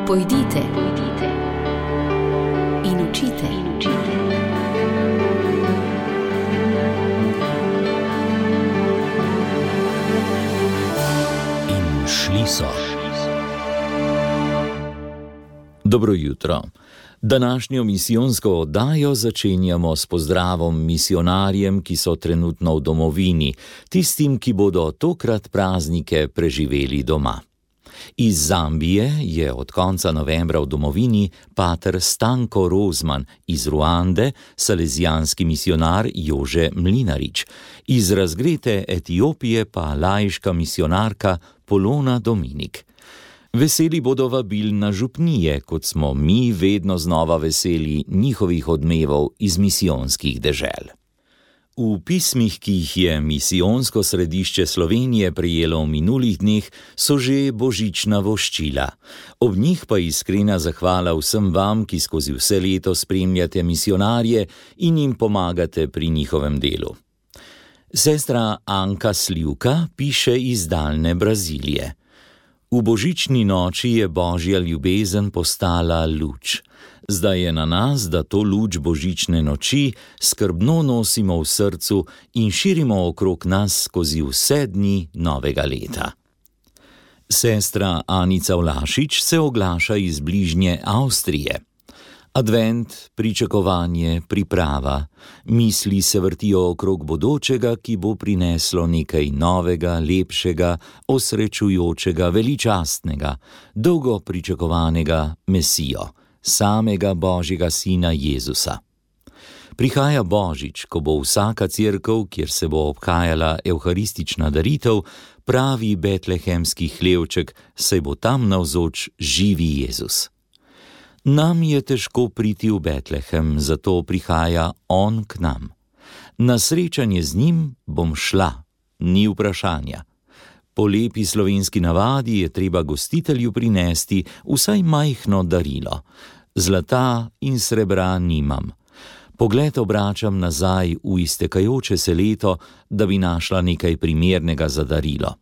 Pojdite in učite. In šli so. Dobro jutro. Današnjo misijonsko oddajo začenjamo s pozdravom misionarjem, ki so trenutno v domovini, tistim, ki bodo tokrat praznike preživeli doma. Iz Zambije je od konca novembra v domovini pater Stanko Rozman, iz Ruande salezijanski misionar Jože Mlinarič, iz razgrete Etiopije pa laiška misionarka Polona Dominik. Veseli bodo vabil na župnije, kot smo mi vedno znova veseli njihovih odmevov iz misijonskih dežel. V pismih, ki jih je misijonsko središče Slovenije prejelo v minulih dneh, so že božična voščila. Ob njih pa iskrena zahvala vsem vam, ki skozi vse leto spremljate misionarje in jim pomagate pri njihovem delu. Sestra Anka Slivka piše iz daljne Brazilije. V božični noči je Božja ljubezen postala luč. Zdaj je na nas, da to luč božične noči skrbno nosimo v srcu in širimo okrog nas skozi vse dni novega leta. Sestra Anica Vlašič se oglaša iz bližnje Avstrije. Advent, pričakovanje, priprava, misli se vrtijo okrog bodočega, ki bo prineslo nekaj novega, lepšega, osrečujočega, veličastnega, dolgo pričakovanega Mesijo, samega Božjega Sina Jezusa. Prihaja Božič, ko bo vsaka cerkev, kjer se bo obhajala evharistična daritev, pravi betlehemski hlevček, saj bo tam navzoč živi Jezus. Nam je težko priti v Betlehem, zato prihaja on k nam. Na srečanje z njim bom šla, ni vprašanja. Po lepi slovenski navadi je treba gostitelju prinesti vsaj majhno darilo. Zlata in srebra nimam. Pogled obračam nazaj v iztekajoče se leto, da bi našla nekaj primernega za darilo.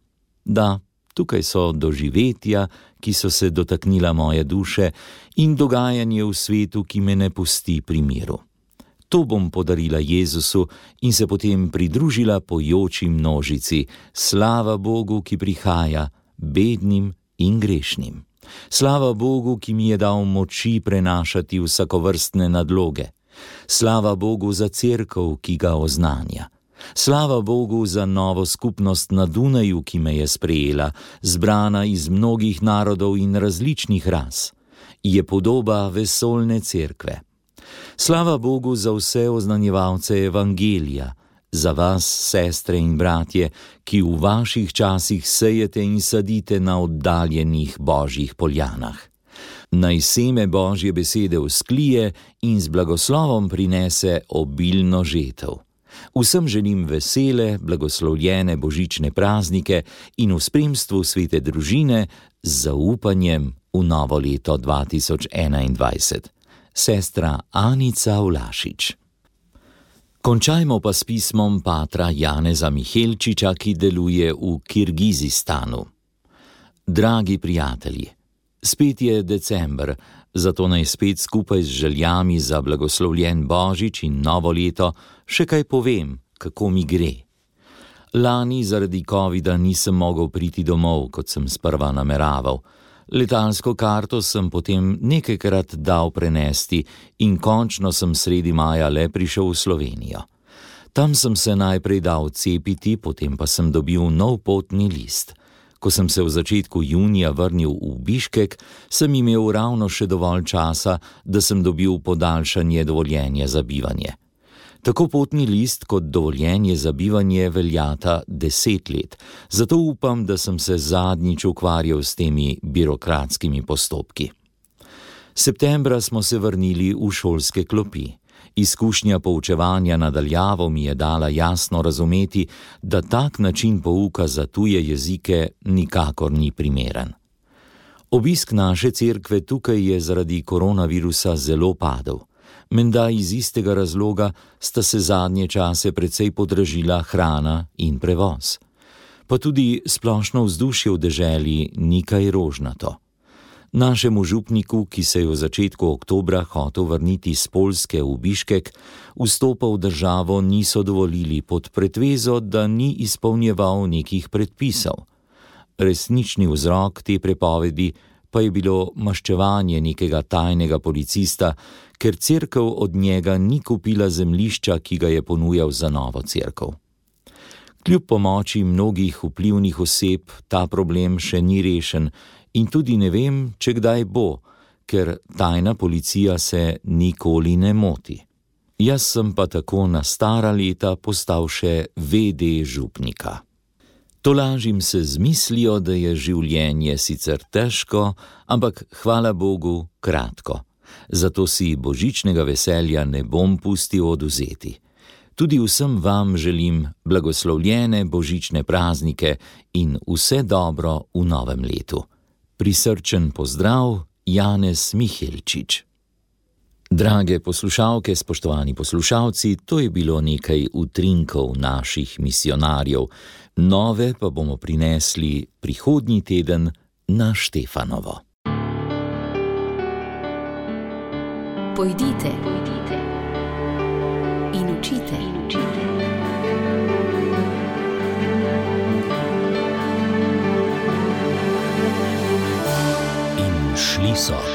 Da, tukaj so doživetja, ki so se dotaknila moje duše, in dogajanje v svetu, ki me ne pusti pri miru. To bom podarila Jezusu in se potem pridružila pojoči množici. Slava Bogu, ki prihaja, bednim in grešnim. Slava Bogu, ki mi je dal moči prenašati vsakovrstne nadloge. Slava Bogu za cerkev, ki ga oznanja. Slava Bogu za novo skupnost na Dunaju, ki me je sprejela, zbrana iz mnogih narodov in različnih ras. Je podoba vesoljne cerkve. Slava Bogu za vse oznanjevalce evangelija, za vas, sestre in bratje, ki v vaših časih sejete in sadite na oddaljenih Božjih poljanah. Naj seme Božje besede vzklije in z blagoslovom prinese obilno žetev. Vsem želim vesele, blagoslovljene božične praznike in v spremstvu svete družine z zaupanjem v novo leto 2021. Sestra Anica Vlašič. Končajmo pa s pismom patra Janeza Mihelčiča, ki deluje v Kirgizistanu. Dragi prijatelji, spet je december, zato naj spet skupaj z željami za blagoslovljen Božič in novo leto še kaj povem, kako mi gre. Lani zaradi covida nisem mogel priti domov, kot sem sprva nameraval. Letalsko karto sem potem nekajkrat dal prenesti in končno sem sredi maja le prišel v Slovenijo. Tam sem se najprej dal cepiti, potem pa sem dobil nov potni list. Ko sem se v začetku junija vrnil v Biškek, sem imel ravno še dovolj časa, da sem dobil podaljšanje dovoljenja za bivanje. Tako potni list kot dovoljenje za bivanje veljata 10 let, zato upam, da sem se zadnjič ukvarjal s temi birokratskimi postopki. Septembra smo se vrnili v šolske klopi. Izkušnja poučevanja na daljavo mi je dala jasno razumeti, da tak način pouka za tuje jezike nikakor ni primeren. Obisk naše cerkve tukaj je zaradi koronavirusa zelo padel. Menda iz istega razloga sta se zadnje čase precej podražila hrana in prevoz. Pa tudi splošno vzdušje v deželi ni kaj rožnato. Našemu župniku, ki se je v začetku oktobra hotel vrniti z Poljske v Biškek, vstopa v državo niso dovolili pod pretvezo, da ni izpolnjeval nekih predpisov. Resnični vzrok te prepovedi pa je bilo maščevanje nekega tajnega policista, ker cerkev od njega ni kupila zemljišča, ki ga je ponujal za novo cerkev. Kljub pomoči mnogih vplivnih oseb ta problem še ni rešen in tudi ne vem, če kdaj bo, ker tajna policija se nikoli ne moti. Jaz sem pa tako na stara leta postal še VD župnika. Tolažim se z mislijo, da je življenje sicer težko, ampak hvala Bogu kratko. Zato si božičnega veselja ne bom pustil odvzeti. Tudi vsem vam želim blagoslovljene božične praznike in vse dobro v novem letu. Prisrčen pozdrav, Janez Mihelčič. Drage poslušalke, spoštovani poslušalci, to je bilo nekaj utrinkov naših misijonarjev. Nove pa bomo prinesli prihodnji teden na Štefanovo. Pojdite in učite. In šli so.